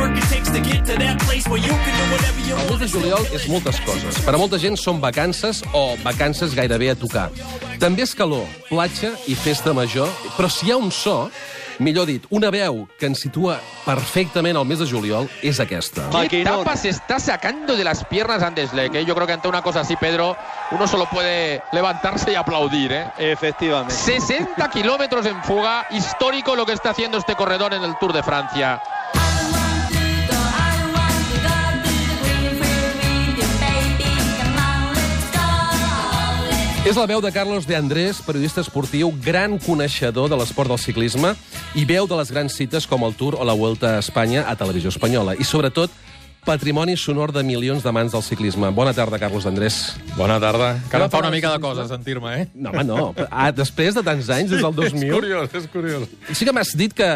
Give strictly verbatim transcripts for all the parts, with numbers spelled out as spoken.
El mes de juliol és moltes coses. Per a molta gent són vacances o vacances gairebé a tocar. També és calor, platja i festa major, però si hi ha un so, millor dit, una veu que ens situa perfectament al mes de juliol és aquesta. ¿Qué tapa se está sacando de las piernas Andes Leck? ¿eh? Yo creo que ante una cosa así, Pedro, uno solo puede levantarse y aplaudir. ¿eh? Efectivamente. sesenta kilómetros en fuga, histórico lo que está haciendo este corredor en el Tour de Francia. És la veu de Carlos de Andrés, periodista esportiu, gran coneixedor de l'esport del ciclisme i veu de les grans cites com el Tour o la Vuelta a Espanya a Televisió Espanyola. I, sobretot, patrimoni sonor de milions d'amants del ciclisme. Bona tarda, Carlos d'Andrés. Bona tarda. Que ara em fa una mica de cosa sentir-me, eh? No, home, no. Ah, després de tants anys, des del dos mil... És curiós, és curiós. Sí que m'has dit que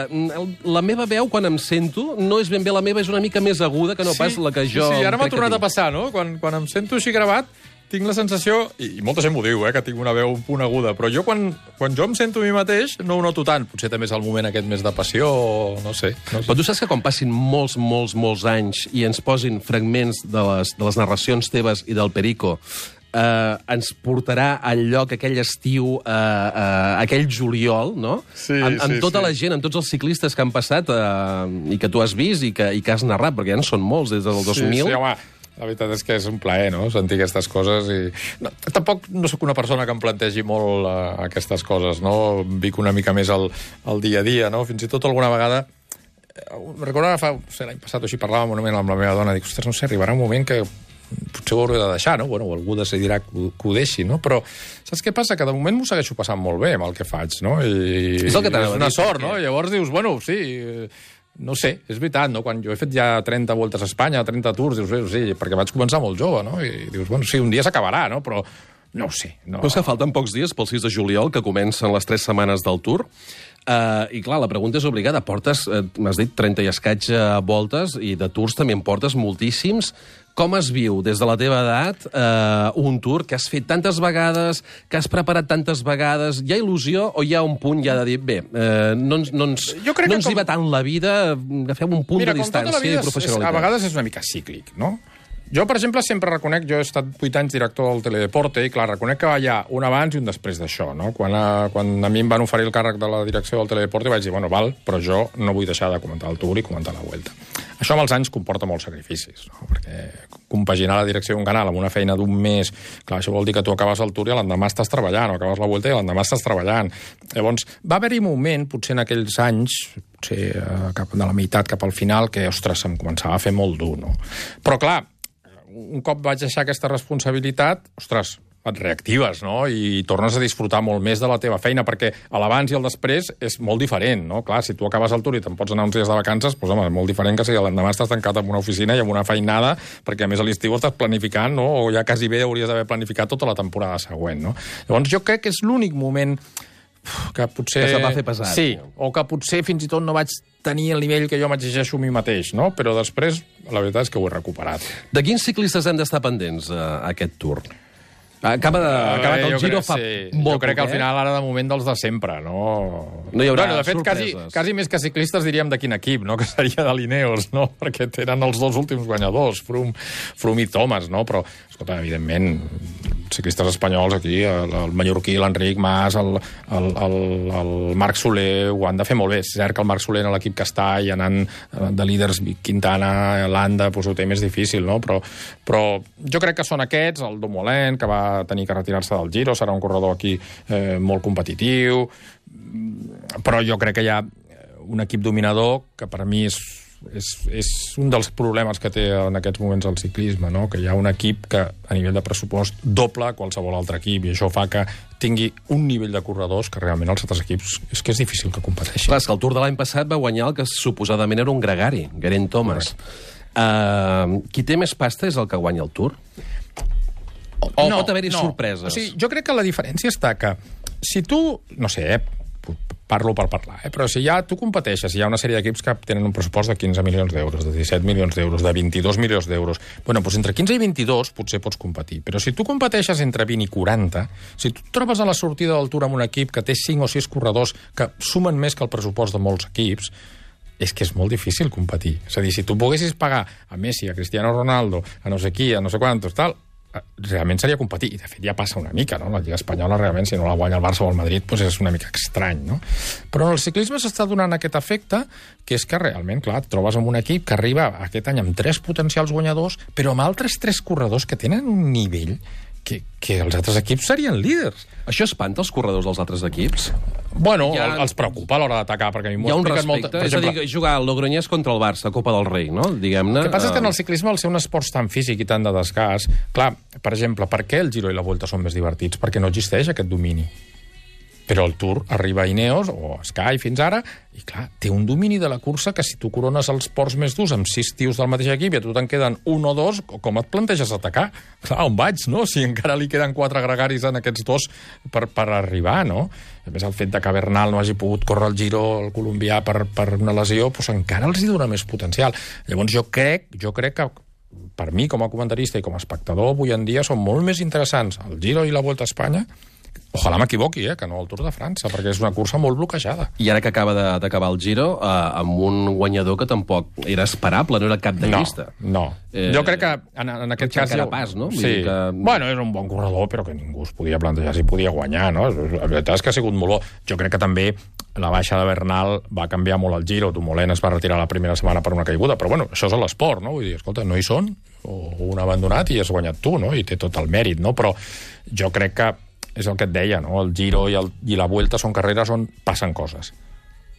la meva veu, quan em sento, no és ben bé la meva, és una mica més aguda que no pas la que jo... Sí, sí, ara m'ha crec que tornat a tinc. passar, no? Quan, quan em sento així gravat, tinc la sensació, i molta gent m'ho diu, eh, que tinc una veu un punt aguda, però jo quan, quan jo em sento a mi mateix no ho noto tant. Potser també és el moment aquest més de passió, o no sé. No sé. Però tu saps que quan passin molts, molts, molts anys i ens posin fragments de les, de les narracions teves i del Perico, eh, ens portarà al lloc aquell estiu, eh, eh, aquell juliol, no? Sí, amb, amb sí, tota sí. la gent, amb tots els ciclistes que han passat eh, i que tu has vist i que, i que has narrat, perquè ja en són molts des del dos mil. Sí, sí, home, la veritat és que és un plaer, no?, sentir aquestes coses. I... No, tampoc no sóc una persona que em plantegi molt uh, aquestes coses, no? Vic una mica més el, el dia a dia, no? Fins i tot alguna vegada... Recordo que fa... No sé, l'any passat o així parlàvem un moment amb la meva dona, dic, ostres, no sé, arribarà un moment que potser ho hauré de deixar, no? Bueno, algú decidirà que ho, que ho deixi, no? Però saps què passa? Que de moment m'ho segueixo passant molt bé amb el que faig, no? I... És el que t'anava a dir, una sort, perquè- no? I llavors dius, bueno, sí... No sé, és veritat, no? Quan jo he fet ja trenta voltes a Espanya, trenta tours, dius, bé, sí, perquè vaig començar molt jove, no? I dius, bueno, sí, un dia s'acabarà, no? Però no ho sé. No... Però és que falten pocs dies pel sis de juliol, que comencen les tres setmanes del Tour. Uh, I, clar, la pregunta és obligada. Portes, uh, m'has dit, trenta i escaig uh, voltes, i de Tours també en portes moltíssims. Com es viu, des de la teva edat, uh, un Tour que has fet tantes vegades, que has preparat tantes vegades? Hi ha il·lusió o hi ha un punt ja de dir, bé, uh, no ens, no ens, Jo crec no que ens com- hi va tant la vida, agafem un punt Mira, de com tota la distància vida i és, és, professionalitat. a vegades és una mica cíclic, no? Jo, per exemple, sempre reconec, jo he estat vuit anys director del Teledeporte i, clar, reconec que hi ha un abans i un després d'això, no? Quan a, quan a mi em van oferir el càrrec de la direcció del Teledeporte vaig dir, bueno, val, però jo no vull deixar de comentar el Tour i comentar la Vuelta. Això amb els anys comporta molts sacrificis, no? Perquè compaginar la direcció d'un canal amb una feina d'un mes, clar, això vol dir que tu acabes el Tour i l'endemà estàs treballant, o acabes la Vuelta i l'endemà estàs treballant. Llavors, va haver-hi un moment, potser en aquells anys, potser eh, cap de la meitat cap al final, que, ostres, em començava a fer molt dur, no? Però, clar, un cop vaig deixar aquesta responsabilitat, ostres, et reactives, no? I tornes a disfrutar molt més de la teva feina, perquè l'abans i el després és molt diferent, no? Clar, si tu acabes el Tour i te'n pots anar uns dies de vacances, doncs, home, és molt diferent que si l'endemà estàs tancat en una oficina i amb una feinada, perquè a més a l'estiu estàs planificant, no? O ja quasi bé hauries d'haver planificat tota la temporada següent, no? Llavors jo crec que és l'únic moment que potser... Que se't va fer pesat. Sí, o que potser fins i tot no vaig tenir el nivell que jo m'exigeixo a mi mateix, no? Però després, la veritat és que ho he recuperat. De quins ciclistes hem d'estar pendents a aquest Tour? Acaba de, acabat el jo Giro crec, fa sí. molt Jo crec que al poc, eh? final ara de moment dels de sempre, no? No hi haurà bueno, de fet, quasi, sorpreses. quasi més que ciclistes diríem de quin equip, no? Que seria de l'Ineos, no? Perquè eren els dos últims guanyadors, Froome, Froome i Thomas, no? Però, escolta, evidentment, ciclistes espanyols aquí, el, el mallorquí, l'Enric Mas, el, el, el, el Marc Soler, ho han de fer molt bé. És cert que el Marc Soler en l'equip que està i anant de líders, Quintana, Landa, doncs ho té més difícil, no? Però, però jo crec que són aquests, el Dumoulin, que va tenir que retirar-se del Giro, serà un corredor aquí eh, molt competitiu, però jo crec que hi ha un equip dominador que per mi és És, és un dels problemes que té en aquests moments el ciclisme, no? Que hi ha un equip que a nivell de pressupost doble qualsevol altre equip i això fa que tingui un nivell de corredors que realment els altres equips és que és difícil que competeixin. Clar, és que el Tour de l'any passat va guanyar el que suposadament era un gregari, Geraint Thomas. Uh, qui té més pasta és el que guanya el Tour? O, o no, pot haver-hi no. sorpreses? O sigui, jo crec que la diferència està que si tu, no sé, eh, parlo per parlar, eh? Però si ja tu competeixes, hi ha una sèrie d'equips que tenen un pressupost de quinze milions d'euros, de disset milions d'euros, de vint-i-dos milions d'euros. Bueno, doncs entre quinze i vint-i-dos potser pots competir, però si tu competeixes entre vint i quaranta, si tu et trobes a la sortida del Tour amb un equip que té cinc o sis corredors que sumen més que el pressupost de molts equips, és que és molt difícil competir. És a dir, si tu poguessis pagar a Messi, a Cristiano Ronaldo, a no sé qui, a no sé quantos, tal, realment seria competir. I, de fet, ja passa una mica, no? La Lliga Espanyola, realment, si no la guanya el Barça o el Madrid, doncs és una mica estrany, no? Però en el ciclisme s'està donant aquest efecte, que és que realment, clar, et trobes amb un equip que arriba aquest any amb tres potencials guanyadors, però amb altres tres corredors que tenen un nivell que, que els altres equips serien líders. Això espanta els corredors dels altres equips? Bueno, ha... els preocupa a l'hora d'atacar, perquè a mi hi ha un respecte. Molta... Per és exemple... a dir, jugar al Logroñés contra el Barça, Copa del Rei, no? Diguem-ne... El que passa és que en el ciclisme, al ser un esport tan físic i tan de desgast, clar, per exemple, per què el Giro i la Vuelta són més divertits? Perquè no existeix aquest domini. Però el Tour arriba a Ineos, o a Sky fins ara, i clar, té un domini de la cursa que si tu corones els ports més durs amb sis tios del mateix equip i a tu te'n queden un o dos, com et planteges atacar? Clar, on vaig, no? Si encara li queden quatre gregaris en aquests dos per, per arribar, no? A més, el fet de que Bernal no hagi pogut córrer el Giro, el colombià, per, per una lesió, doncs encara els hi dona més potencial. Llavors jo crec, jo crec que per mi, com a comentarista i com a espectador, avui en dia són molt més interessants el Giro i la Volta a Espanya. Ojalà m'equivoqui, eh, que no el Tour de França, perquè és una cursa molt bloquejada. I ara que acaba d'acabar el Giro, eh, amb un guanyador que tampoc era esperable, no era cap de llista. No, no. Eh, jo crec que en, en aquest cas... Carapàs, no? Sí. Que... Bueno, és un bon corredor, però que ningú es podia plantejar si podia guanyar, no? La veritat és que ha sigut molt bo. Jo crec que també la baixa de Bernal va canviar molt el Giro. Dumoulin es va retirar la primera setmana per una caiguda, però bueno, això és l'esport, no? Vull dir, escolta, no hi són, o un abandonat i has guanyat tu, no? I té tot el mèrit, no? Però jo crec que és el que et deia, no? El Giro i, el, i la Vuelta són carreres on passen coses.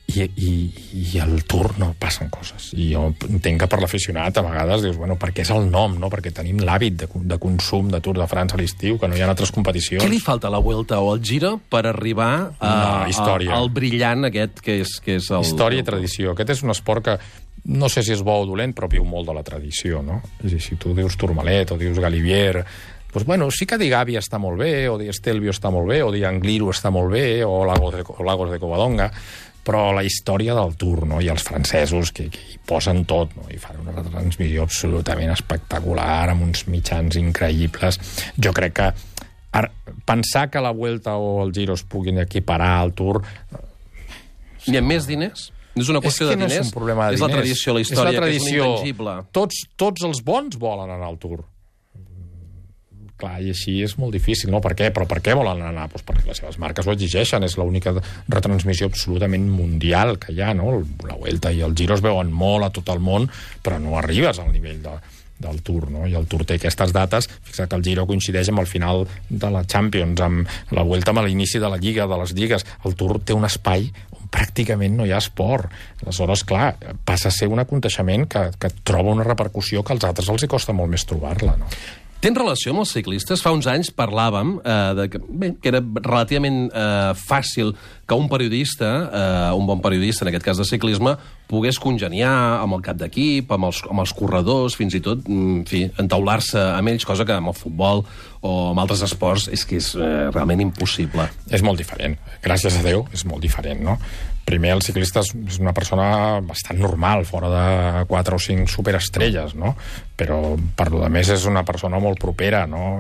I, i, i el Tour no passen coses. I jo entenc que per l'aficionat a vegades dius, bueno, perquè és el nom, no? Perquè tenim l'hàbit de, de consum de Tour de França a l'estiu, que no hi ha altres competicions. Què li falta a la Vuelta o al Giro per arribar a, no, a, al brillant aquest que és, que és el... Història i tradició. Aquest és un esport que no sé si és bo o dolent, però viu molt de la tradició, no? És a dir, si tu dius Tourmalet o dius Galibier... Pues bueno, sí que dir Gàbia està molt bé, o dir Estelvio està molt bé, o dir Angliru està molt bé, o Lagos de, o Lagos de Covadonga, però la història del Tour, no? I els francesos que, que hi posen tot, no? I fan una retransmissió absolutament espectacular, amb uns mitjans increïbles. Jo crec que ara, pensar que la Vuelta o el Giro es puguin equiparar al Tour... Hi ha més diners? No és una qüestió és de diners? No és un problema de diners. És la diners. tradició, la història, és la tradició. Que és un intangible. Tots, tots els bons volen anar al Tour. Clar, i així és molt difícil, no? Per què? Però per què volen anar? Pues perquè les seves marques ho exigeixen, és l'única retransmissió absolutament mundial que hi ha, no? La Vuelta i el Giro es veuen molt a tot el món, però no arribes al nivell de, del Tour, no? I el Tour té aquestes dates, fixa't que el Giro coincideix amb el final de la Champions, amb la Vuelta amb l'inici de la Lliga, de les lligues. El Tour té un espai on pràcticament no hi ha esport. Aleshores, clar, passa a ser un aconteixement que, que troba una repercussió que als altres els hi costa molt més trobar-la, no? Tens relació amb els ciclistes? Fa uns anys parlàvem eh, de que, bé, que era relativament eh, fàcil que un periodista, eh, un bon periodista, en aquest cas de ciclisme, pogués congeniar amb el cap d'equip, amb, els, amb els corredors, fins i tot, en fi, entaular-se amb ells, cosa que amb el futbol o amb altres esports és que és eh, realment impossible. És molt diferent. Gràcies a Déu, és molt diferent, no? Primer, el ciclista és una persona bastant normal, fora de quatre o cinc superestrelles, no? Però, per lo de més, és una persona molt propera, no?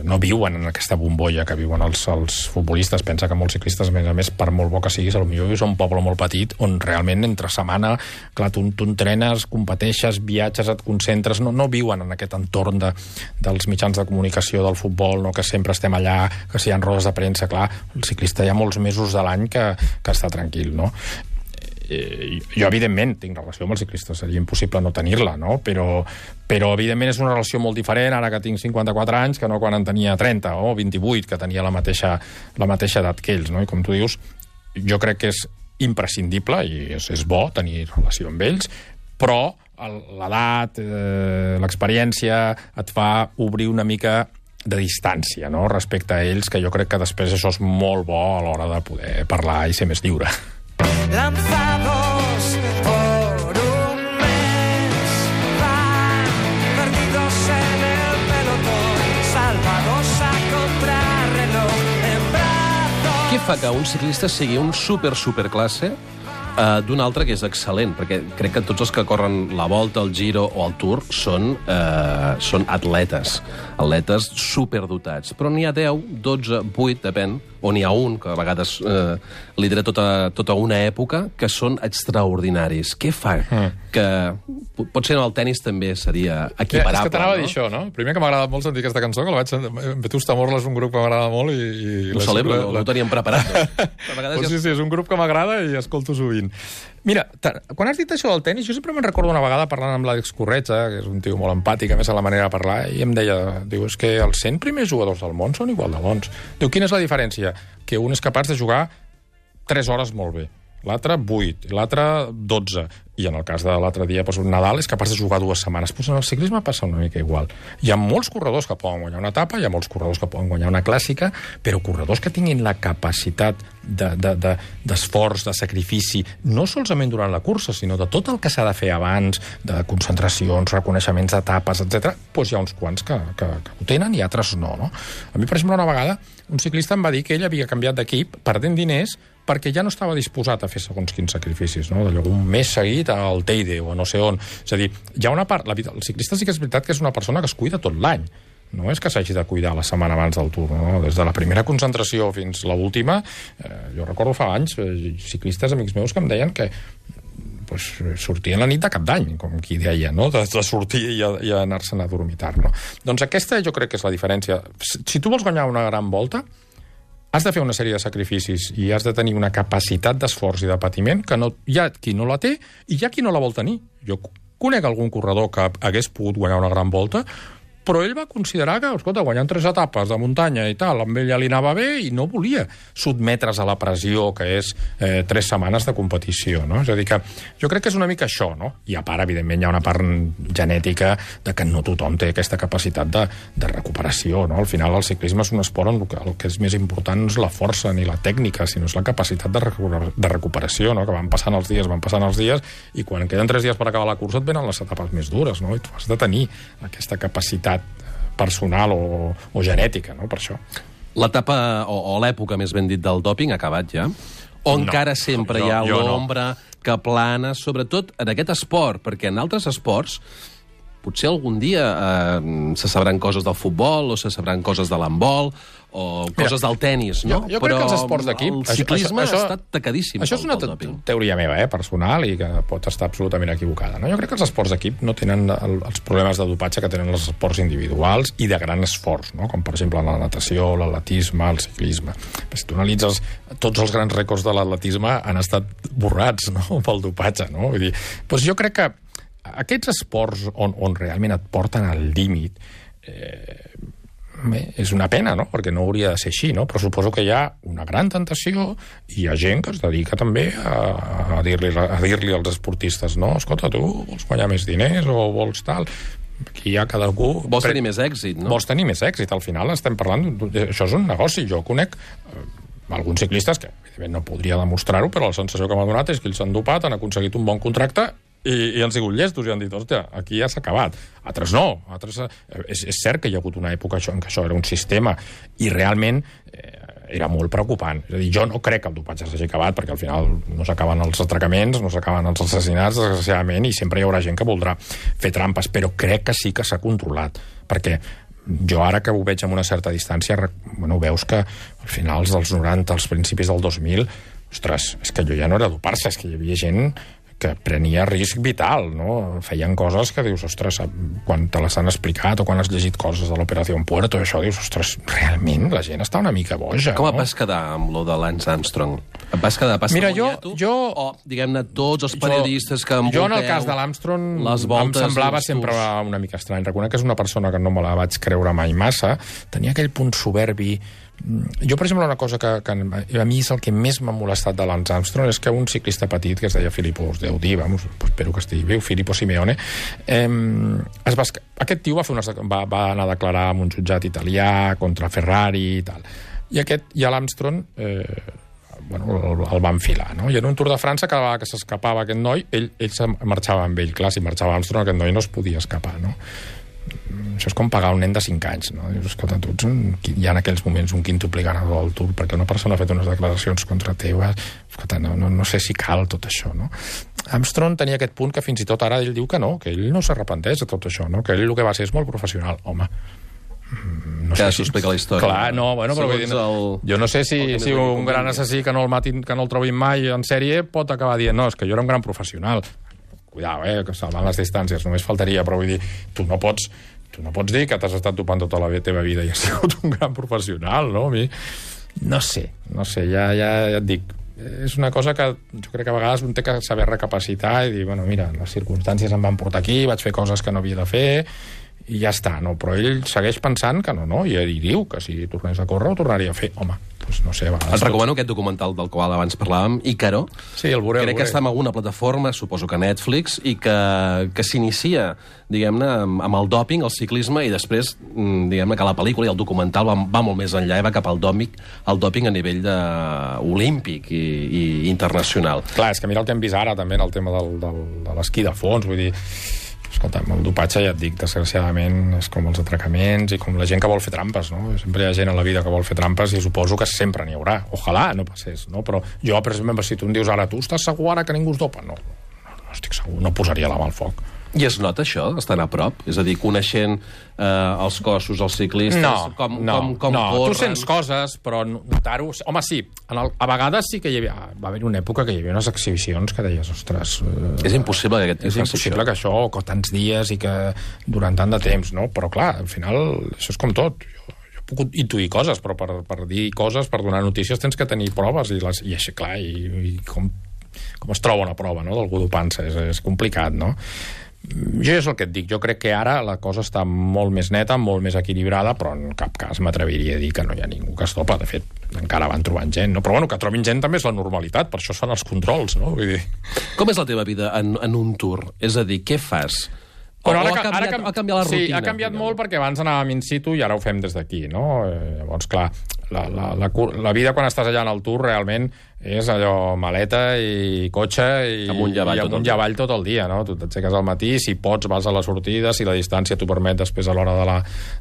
No viuen en aquesta bombolla que viuen els, els futbolistes. Pensa que molts ciclistes, a més a més, per molt bo que siguis, potser vius a un poble molt petit on realment entre setmana, clar, tu, tu entrenes, competeixes, viatges, et concentres, no, no viuen en aquest entorn de, dels mitjans de comunicació del futbol, no? Que sempre estem allà, que si hi ha rodes de premsa, clar, el ciclista hi ha molts mesos de l'any que, que està tranquil, no? Eh, jo, evidentment, tinc relació amb els ciclistes, seria impossible no tenir-la, no? Però, però, evidentment, és una relació molt diferent ara que tinc cinquanta-quatre anys que no quan en tenia trenta o vint-i-vuit, que tenia la mateixa, la mateixa edat que ells, no? I com tu dius, jo crec que és imprescindible i és, és bo tenir relació amb ells, però l'edat, eh, l'experiència et fa obrir una mica de distància, no?, respecte a ells, que jo crec que després això és molt bo a l'hora de poder parlar i ser més lliure. Lanzados por un mes, van perdidos en el pelotón, salvados a contrarreloj, en brazos... Què fa que un ciclista sigui un super, superclasse uh, d'un altre que és excel·lent? Perquè crec que tots els que corren la Volta, el Giro o el Tour són, uh, són atletes, atletes superdotats. Però n'hi ha deu, dotze, vuit, depèn, o n'hi ha un, que a vegades eh, lidera tota, tota una època, que són extraordinaris. Què fa? Mm. Que potser en el tenis també seria equiparable. És que t'anava no? a dir això, no? Primer que m'agrada molt sentir aquesta cançó, que la vaig sentir... Vetusta Morla és un grup que m'agrada molt i... i ho celebro, la... no ho teníem preparat. Pues sí, sí, és un grup que m'agrada i escolto sovint. Mira, quan has dit això del tenis, jo sempre me'n recordo una vegada parlant amb l'Àlex Corretja, que és un tio molt empàtic, a més a la manera de parlar, i em deia, diu, és que els cent primers jugadors del món són igual de bons. Diu, quina és la diferència? Que un és capaç de jugar tres hores molt bé, l'altre vuit, l'altre dotze, i en el cas de l'altre dia, doncs, Nadal és capaç de jugar dues setmanes. Doncs en el ciclisme passa una mica igual. Hi ha molts corredors que poden guanyar una etapa, hi ha molts corredors que poden guanyar una clàssica, però corredors que tinguin la capacitat d'esforç, de, de, de sacrifici, no solament durant la cursa, sinó de tot el que s'ha de fer abans, de concentracions, reconeixements d'etapes, etcètera, doncs hi ha uns quants que, que, que ho tenen i altres no, no? A mi, per exemple, una vegada, un ciclista em va dir que ell havia canviat d'equip perdent diners perquè ja no estava disposat a fer segons quins sacrificis, no? D'allò, un mes seguit al Teide o no sé on. És a dir, hi ha una part... La, el ciclista sí que és veritat que és una persona que es cuida tot l'any. No és que s'hagi de cuidar la setmana abans del Tour, no? Des de la primera concentració fins a l'última, eh, jo recordo fa anys, eh, ciclistes amics meus que em deien que pues, sortien la nit de cap d'any, com qui deia, no? De, de sortir i, a, i anar-se'n a dormitar, no? Doncs aquesta jo crec que és la diferència. Si tu vols guanyar una gran volta, has de fer una sèrie de sacrificis i has de tenir una capacitat d'esforç i de patiment que no, hi ha qui no la té i hi ha qui no la vol tenir. Jo conec algun corredor que hagués pogut guanyar una gran volta, però ell va considerar que, escolta, guanyant tres etapes de muntanya i tal, amb ella li anava bé i no volia sotmetre's a la pressió que és eh, tres setmanes de competició, no? És a dir, que jo crec que és una mica això, no? I a part, evidentment, hi ha una part genètica de que no tothom té aquesta capacitat de, de recuperació, no? Al final, el ciclisme és un esport on el que, el que és més important no és la força ni la tècnica, sinó és la capacitat de, recuper, de recuperació, no? Que van passant els dies, van passant els dies, i quan queden tres dies per acabar la cursa et venen les etapes més dures, no? I tu has de tenir aquesta capacitat personal o, o genètica, no?, per això. L'etapa, o, o l'època, més ben dit, del dòping ha acabat ja? O no, encara sempre jo, hi ha l'ombra no. que plana, sobretot en aquest esport? Perquè en altres esports potser algun dia eh, se sabran coses del futbol o se sabran coses de l'handbol o coses Mira, del tenis, no? Jo, jo crec Però que els esports d'equip... el ciclisme això, això, ha estat tacadíssim. Això és una teoria meva, eh, personal, i que pot estar absolutament equivocada. No? Jo crec que els esports d'equip no tenen el, els problemes de dopatge que tenen els esports individuals i de gran esforç, no? Com per exemple la natació, l'atletisme, el ciclisme. Si tu analitzes, tots els grans rècords de l'atletisme han estat borrats, no?, pel dopatge, no? Vull dir, doncs jo crec que aquests esports on, on realment et porten al límit eh, bé, és una pena, no?, perquè no hauria de ser així, no? Però suposo que hi ha una gran tentació i hi ha gent que es dedica també a, a dir-li a dir-li als esportistes, no, escolta, tu vols guanyar més diners o vols tal... Aquí hi ha cadascú... Vols tenir més èxit, no? Vols tenir més èxit. Al final estem parlant... Això és un negoci. Jo conec eh, alguns ciclistes que, evidentment, no podria demostrar-ho, però la sensació que m'ha donat és que ells s'han dopat, han aconseguit un bon contracte i, i han sigut llestos i han dit, hòstia, aquí ja s'ha acabat. Altres no. Altres, eh, és, és cert que hi ha hagut una època això, en què això era un sistema i realment eh, era molt preocupant. És a dir, jo no crec que el dopatge s'hagi acabat, perquè al final no s'acaben els atracaments, no s'acaben els assassinats, desgraciadament, i sempre hi haurà gent que voldrà fer trampes, però crec que sí que s'ha controlat, perquè jo ara que ho veig amb una certa distància, bueno, veus que al finals dels noranta, als principis del dos mil, ostres, és que allò ja no era dopar-se, és que hi havia gent que prenia risc vital, no? Feien coses que dius, ostres, quan te les han explicat o quan has llegit coses de l'Operació Puerto i això, dius, ostres, realment la gent està una mica boja, Com no? et vas quedar amb lo de Lance Armstrong? Et vas quedar passamoniato? Jo, jo, o, diguem-ne, tots els periodistes que envolteu... Jo, en el cas de l'Armstrong, em semblava sempre una mica estrany. Reconec que és una persona que no me la vaig creure mai massa. Tenia aquell punt soberbi. Jo, per exemple, una cosa que, que a mi és el que més m'ha molestat de Lance Armstrong és que un ciclista petit que es deia Filippo, us deu dir, vamos, espero que estigui viu, Filippo Simeone, eh, es va, aquest tio va, fer una, va, va anar a declarar en un jutjat italià contra Ferrari i tal. I aquest, i a l'Armstrong, eh, bueno, el, el va enfilar, no? I en un Tour de França, cada vegada que s'escapava aquest noi, ell, ell se marxava amb ell. Clar, si marxava Armstrong, aquest noi no es podia escapar, no? Això és com pagar un nen de cinc anys, no? Dius, escolta, tu ets un, hi ha en aquells moments un quintupli ganador del Tour perquè una persona ha fet unes declaracions contra teves, escolta, no, no, no sé si cal tot això, no? Armstrong tenia aquest punt que fins i tot ara ell diu que no, que ell no s'arrepenteix de tot això, no? Que ell el que va ser és molt professional. Home, no que sé s'ho explica la història. Clar, no, bueno, però vull dir, el... jo no sé si, el si un gran assassí que no el matin, que no el trobin mai en sèrie pot acabar dient, no, és que jo era un gran professional. Cuidao, eh, que salvant les distàncies, només faltaria, però vull dir, tu no pots, tu no pots dir que t'has estat topant tota la teva vida i has sigut un gran professional, no? A mi, no sé, no sé, ja, ja, ja et dic, és una cosa que jo crec que a vegades un té que saber recapacitar i dir, bueno, mira, les circumstàncies em van portar aquí, vaig fer coses que no havia de fer i ja està, no? Però ell segueix pensant que no, no, i ell diu que si tornés a córrer ho tornaria a fer. Home, doncs no sé, a vegades... Et recomano aquest documental del qual abans parlàvem, Ícaro. Sí, el veuré, Crec el que veuré. està en alguna plataforma, suposo que Netflix, i que, que s'inicia, diguem-ne, amb, amb el dòping, el ciclisme, i després, mm, diguem-ne, que la pel·lícula i el documental va, va molt més enllà i va cap al dòping, al dòping a nivell de, olímpic i, i internacional. Clar, és que mira el que hem vist ara també en el tema del, del, de l'esquí de fons, vull dir, escolta, el dopatge, ja et dic, desgraciadament és com els atracaments i com la gent que vol fer trampes, no? Sempre hi ha gent a la vida que vol fer trampes i suposo que sempre n'hi haurà. Ojalà no passés, no? Però jo, per exemple, si tu em dius ara, tu estàs segur ara que ningú es dopa? No, no, no estic segur, no posaria la mà al foc. I es nota això, estan a prop? És a dir, coneixent eh, els cossos, els ciclistes, No, com, no, com, com no. corren... Tu sents coses, però notar-ho... Home, sí, en el, a vegades sí que hi havia... Va haver una època que hi havia unes exhibicions que deies, ostres... Eh, És impossible que aquest és faci impossible això. que això, que tants dies i que durant tant de temps, no? Però clar, al final, això és com tot. Jo, jo he pogut intuir coses, però per, per dir coses, per donar notícies, tens que tenir proves, i, les, i així, clar, i, i com, com es troba una prova, no?, d'algú dopant-se, és, és complicat, no? Jo és el que et dic, jo crec que ara la cosa està molt més neta, molt més equilibrada, però en cap cas m'atreviria a dir que no hi ha ningú que es dopa. De fet, encara van trobant gent, no? Però bueno, que trobin gent també és la normalitat, per això són els controls, no? Vull dir... Com és la teva vida en, en un tour? És a dir, què fas? O, Bueno, o ha, canviat, ara, ha canviat la rutina? Sí, ha canviat diguem. molt perquè abans anàvem in situ i ara ho fem des d'aquí, no? Eh, llavors, clar, la, la, la, la vida quan estàs allà en el tour realment és allò maleta i cotxe i Amunt i avall i tot el amunt i dia. avall tot el dia, no? Tu t'aixeques al matí, si pots vas a la sortida, si la distància t'ho permet després a l'hora de, la,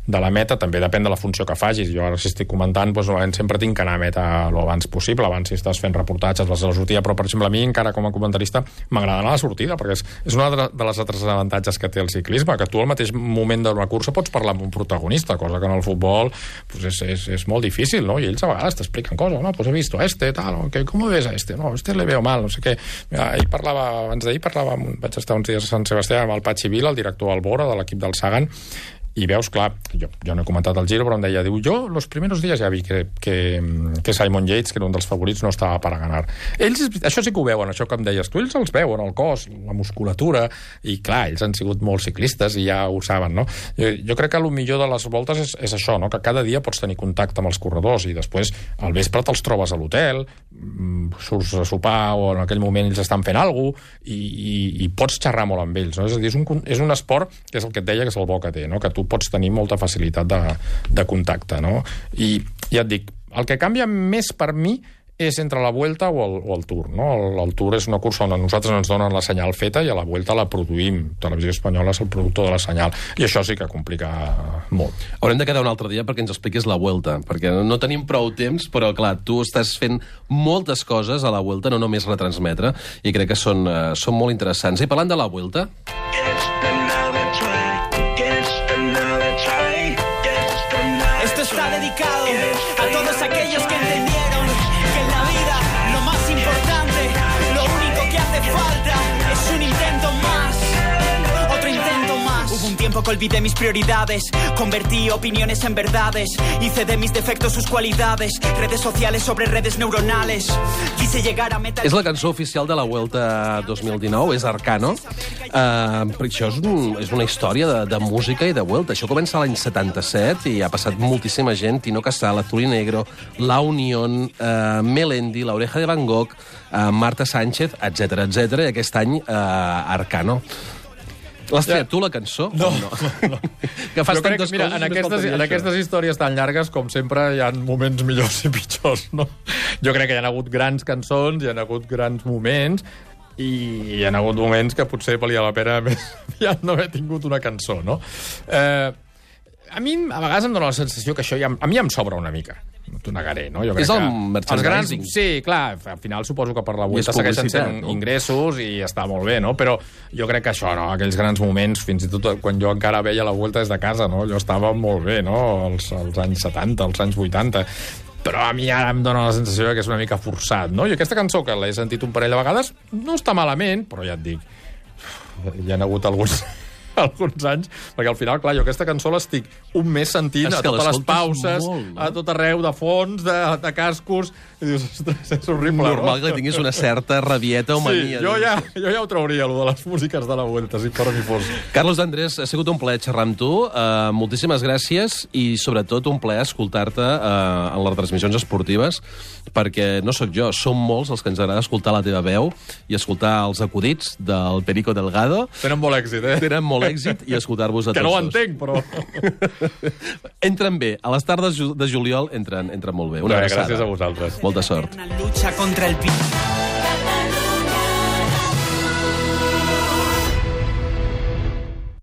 de la meta, també depèn de la funció que facis. Jo ara si estic comentant, doncs, normalment sempre tinc que anar a meta lo abans possible, abans si estàs fent reportatges vas a la sortida, però per exemple a mi encara com a comentarista m'agrada anar a la sortida, perquè és, és una de les altres avantatges que té el ciclisme, que tu al mateix moment d'una cursa pots parlar amb un protagonista, cosa que en el futbol pues és, és, és molt difícil, no? I ells a vegades t'expliquen coses, no? Pues he visto a este, tal, okay, ¿cómo ves a este? No, este le veo mal, no sé què. Mira, ahir parlava, abans d'ahir parlava, amb, vaig estar uns dies a Sant Sebastià amb el Patxi Vila, el director Albora de l'equip del Sagan, i veus, clar, jo, jo no he comentat el Giro, però em deia, diu, jo los primeros días ja vi que, que, que Simon Yates, que era un dels favorits, no estava per a ganar. Ells, això sí que ho veuen, això que em deies tu, ells els veuen, el cos, la musculatura, i clar, ells han sigut molt ciclistes i ja ho saben, no? Jo, jo crec que el millor de les voltes és, és això, no? Que cada dia pots tenir contacte amb els corredors i després al vespre te'ls trobes a l'hotel, surts a sopar o en aquell moment ells estan fent alguna cosa i, i, i pots xerrar molt amb ells, no? És a dir, és un, és un esport que és el que et deia que és el bo que té, no? Que tu pots tenir molta facilitat de, de contacte, no? I ja et dic, el que canvia més per mi és entre la Vuelta o el, o el Tour, no? El, el Tour és una cursa on a nosaltres ens donen la senyal feta i a la Vuelta la produïm. Televisió Espanyola és el productor de la senyal. I això sí que complica molt. Haurem de quedar un altre dia perquè ens expliquis la Vuelta, perquè no tenim prou temps, però clar, tu estàs fent moltes coses a la Vuelta, no només retransmetre, i crec que són, uh, són molt interessants. I parlant de la Vuelta... Esto está dedicado a todos aquellos que entendieron que en la vida lo más importante, lo único que hace falta es un intento más, otro intento más. Hubo un tiempo que olvidé mis prioridades, convertí opiniones en verdades, hice de mis defectos sus cualidades, redes sociales sobre redes neuronales, quise llegar a meta... És la cançó oficial de la Vuelta dos mil dinou, és Arcano. Uh, això és, un, és una història de, de música i de Vuelta. Això comença l'any setanta-set i ha passat moltíssima gent, Tino Casal, Azul y Negro, La Unión, uh, Melendi, La Oreja de Van Gogh, uh, Marta Sánchez, etcètera, etcètera, i aquest any uh, Arcano. L'has triat tu, la cançó? No, no. no. Que fas jo crec, tantes mira, coses... en només aquestes, faltaria en això. aquestes històries tan llargues, com sempre, hi ha moments millors i pitjors, no? Jo crec que hi ha hagut grans cançons, hi ha hagut grans moments, i hi ha hagut moments que potser valia la pena més ja no haver tingut una cançó, no? Eh, a mi a vegades em dóna la sensació que això ja, a mi ja em sobra una mica. t'ho negaré, no? Jo crec És el que merchandising. Els grans, sí, clar, al final suposo que per la I és Vuelta segueixen sent publicitat, no? ingressos i està molt bé, no? Però jo crec que això, no? Aquells grans moments, fins i tot quan jo encara veia la Vuelta des de casa, no? Jo estava molt bé, no? Els, els anys setanta, els anys vuitanta. Però a mi ara em dóna la sensació que és una mica forçat, no? I aquesta cançó, que l'he sentit un parell de vegades, no està malament, però ja et dic, hi ha hagut alguns... alguns anys, perquè al final, clar, jo aquesta cançó l'estic un mes sentint És a que totes les l'escoltes pauses, molt, no? a tot arreu, de fons, de, de cascos, i dius, ostres, és horrible, Normal no? que tinguis una certa rabieta o Sí, mania. jo ja, jo ja ho trauria, allò de les músiques de la Vuelta, si per mi fos. Carlos Andrés, ha sigut un plaer xerrar amb tu. Uh, moltíssimes gràcies i, sobretot, un plaer escoltar-te uh, en les transmissions esportives, perquè no sóc jo, som molts els que ens agrada escoltar la teva veu i escoltar els acudits del Perico Delgado. Tenen molt èxit, eh? Tenen molt èxit i escoltar-vos a Que tots no ho dos. entenc, però... Entren bé. A les tardes ju- de juliol entren, entren molt bé. Una Bé, abraçada. gràcies a vosaltres. Molta sort. Una lucha contra el virus.